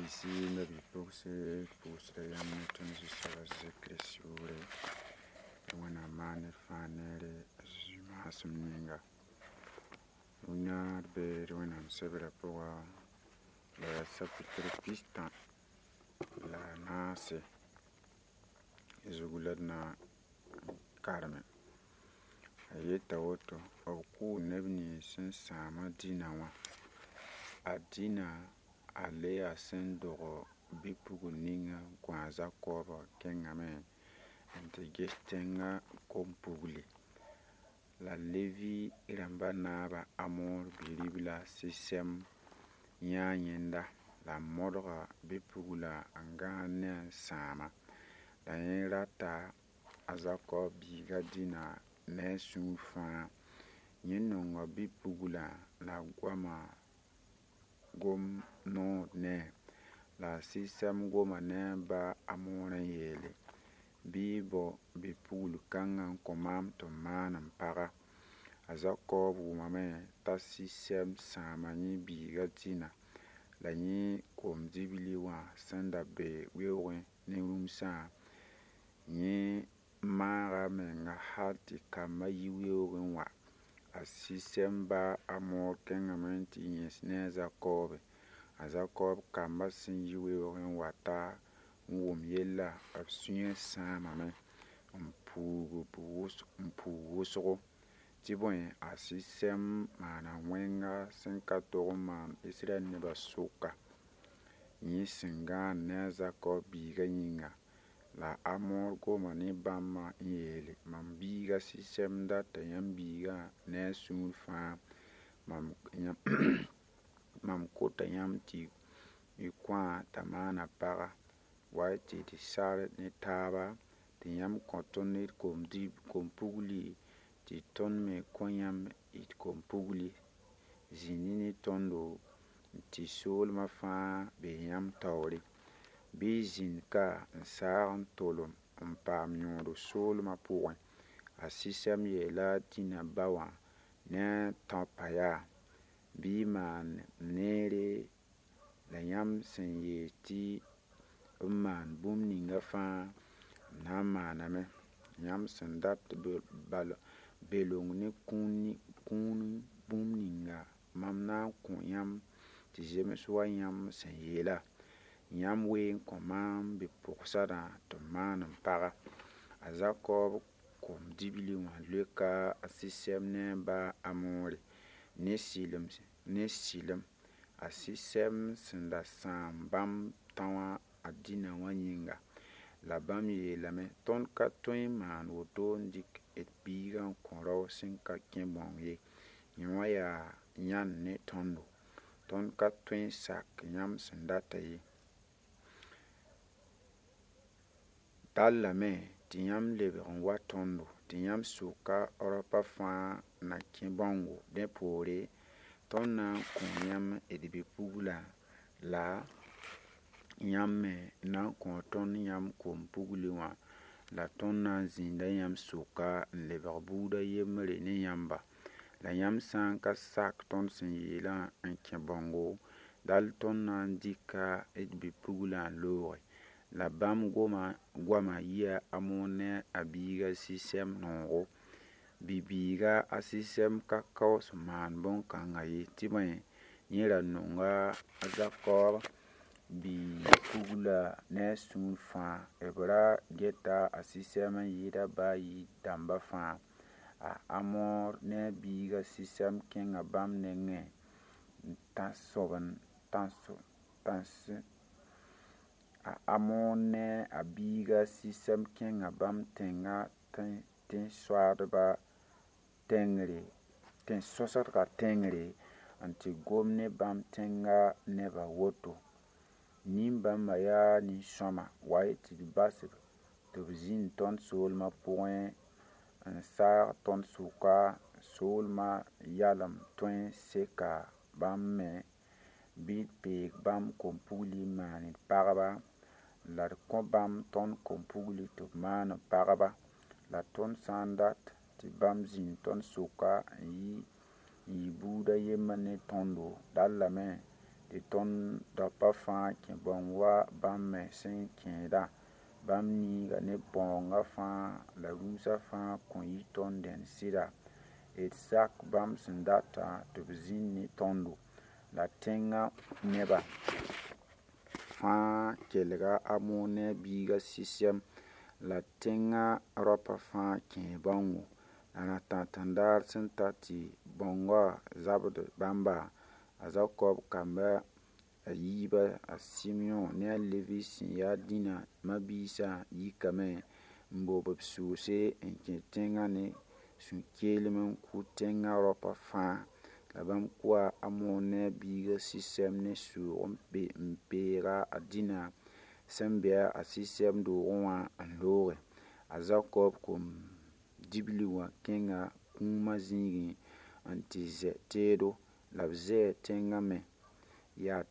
Mabiisi, mabipɔgesi pu'usera yãmb ne tõnd Zu-soaba Zeezi Kirist yʋʋre tɩ Wẽnnaam maan ned fãa neere a Zezi maasem ninga. Rũnna d be d Wẽnnaam sebrã pʋga la yaa sapɩtr 34 zugu la d na n kareme. A yeta woto b kʋʋ neb nins sẽn sãam a Dĩnã wã. A Dĩnã a Leya sẽn dog bi-pugl ninga n kõ a Zakɔɔbã kẽngame n tɩ ges tẽngã kom-pugli. La Levi rãmba naaba Amor bi-ribla Sisɛm yãa yẽnda la a modga bi-pugla n gãag ne a n sãama. La yẽ rata a Zakɔɔb biiga Dĩnã ne a sũur fãa. Yẽ nonga bi-puglã la a goama gom noor ne-a. La a Sisɛm goma ne a ba Amor n yeele bɩ y bao bi-pugl kãngã n kõ maam tɩ m maan m paga. A Zakɔɔb wʋmame t'a Sisɛm sãama yẽ biiga Dĩnã la yẽ kom-dibli wã sẽn da be weoogẽ ne rũmsã, yẽ maaga a menga hal tɩ kambã yi weoogẽ wa. A Sisɛm ba Amor kẽngame n tɩ yẽs ne a Zakɔɔbe. A Zakɔɔb kambã sẽn yi weoogẽ n wa ta n wʋm yella b sũyã sãamame n puug wʋsgo tɩ bõe a Sisɛm maana wẽnga sẽn ka tog n maan Israɛl nebã sʋka yẽ sẽn gãan ne a Zakɔɔb biigã yĩnga. La Amor goma ne bãmbã n yeele mam biiga Sisɛm data yãmb biigã ne a sũur fãa mam kota yãmb tɩ y kõ-a t'a maana paga wa y tɩ d sar ne taaba tɩ yãmb kõ tõnd d kom-pugli tɩ tõnd me kõ yãmb d kom-pugli zĩndi ne tõndo tɩ soolmã fãa be yãmb taoore. Bɩ y zĩnd ka n saag n tolem n paam yõod soolmã pʋgẽ. A Sisɛm yeela a Dĩnã ba wã ne a tão pa yaa bɩ y maan neere la yãmb sẽn yeel tɩ m maan bũmb ninga fãa m na n maaname. Yãmb sẽn dat belong ne kũun bũmb ninga mam na n kõ yãmb tɩ zems wa yãmb sẽn yeela. Yãmb wee n kõ maam bi-pʋgsadã tɩ m maan m paga. A Zakɔɔb kom-dibli wã leoka a Sisɛm ne a ba Amore ne sɩlem. A Sisɛm sẽn da sãam bãmb tão wã a Dĩnã wã yĩnga. La bãmb yeelame tõnd ka tõe n maan woto n dɩk d biigã n kõ rao sẽn ka kẽ bãong ye. Yẽ wã yaa yãnd ne tõndo. Tõnd ka tõe n sak yãmb sẽn data ye. Dallame tɩ yãmb lebg n wa tõndo tɩ yãmb sʋka raopã fãa na kẽ bãongo. Dẽ poore tõnd na n kõ yãmb d bi-puglã la yãmb me na n kõ tõnd yãmb kom-pugli wã la tõnd na n zĩnda yãmb sʋka n lebg buud a yembre ne yãmba. La yãmb sã n ka sak tõnd sẽn yeelã n kẽ bãongo, dal tõnd na n dɩka d bi-puglã n looge. La bãmb goamã yia Amor ne a biiga Sisɛm noogo. Bi-biiga a Sisɛm ka kaoos n maan bõn-kãngã ye tɩ bõe yẽ ra nonga a Zakɔɔb bi-puglã ne a sũur fãa. B ra geta a Sisɛm n yɩɩd a ba yir dãmbã fãa. A Amor ne a biiga Sisɛm kẽnga bãmb nengẽ n A Amor ne a biiga Sisɛm kẽnga bãmb tẽngã tẽn-soasdgã tẽngre n tɩ gom ne bãmb tẽngã nebã woto: Nin-bãmbã yaa nin-sõma, wa-y tɩ d bas-b tɩ b zĩnd tõnd soolmã pʋgẽ n saag tõnd sʋka soolmã yalem tõe n seka bãmb me bɩ d peeg bãmb kom-pugli n maan d pagba la d kõ bãmb tõnd kom-pugli tɩ b maan b pagba. La tõnd sã n dat tɩ bãmb zĩnd tõnd sʋka n yɩ buud a yembr ne tõndo, dallame Tɩ tõnd daopa fãa kẽ bãong wa bãmb me sẽn kẽedã. Bãmb niiga ne bãoongã fãa la rũusã fãa kõn yɩ tõnd dẽnd sɩda. D sak bãmb sẽn data tɩ b zĩnd ne tõndo. La tẽngã nebã fãa kelga a Hamor ne a biigã Sisɛm la tẽngã raopã fãa kẽe bãongo. La rãtãtãndaar sẽn ta tɩ bãongã zabd bãmba, a Zakɔb kamba a yiibã a Sɩmyõ ne a Levi sẽn yaa Dĩnã ma-biisã yikame n bob b soose n kẽ tẽngã ne sũ-keelem n kʋ tẽngã raopã fãa. La bãmb kʋa a Hamor ne a biigã Sisɛm ne soog n peega a Dĩnã sẽn be a Sisɛm doogẽ wã n looge. A Zakɔb kom-dibli wã kẽnga kũumã zĩigẽ n tɩ zɛ teedo la b zɛɛ tẽngã me. Yaa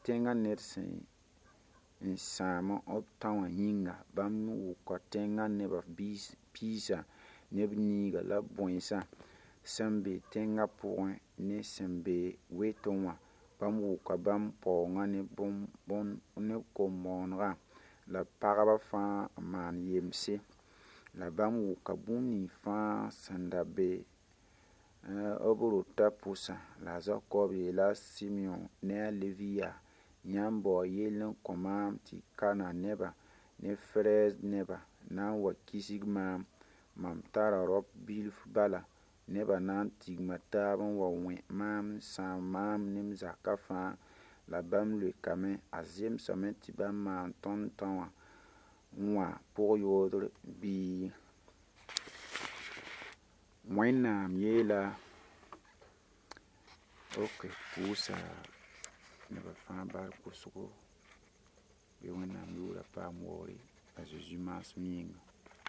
tẽngã ned sẽn n sãam b tão wã yĩnga. Bãmb wʋka tẽngã nebã piisã ne b niiga la bõensã sẽn be tẽngã pʋgẽ ne sẽn be wetẽ wã. Bãmb wʋka bãmb paoongã ne kom-bõonegã la pagba fãa n maan yemse. La bãmb wʋka bũmb nins fãa sẽn da be b rotã pʋsã. La a Zakɔb yeela a Sɩmyõ ne a Levi yaa: Yãmb bao yell n kõ maam tɩ Kanaan nebã ne Ferɛɛz nebã na n wa kisg maam. Mam tara raop bilf bala. Nebã na n tigma taab n wa wẽ maam n sãam maam ne m zakã fãa. La bãmb leokame: A zemsame tɩ bãmb maan tõnd tão wã pʋg-yoodr bɩ? Wẽnnaam yeela ok pʋʋsa nebã fãa bark wʋsgo bɩ Wẽnnaam yʋʋrã paam waoore a Zezi maasem yĩnga.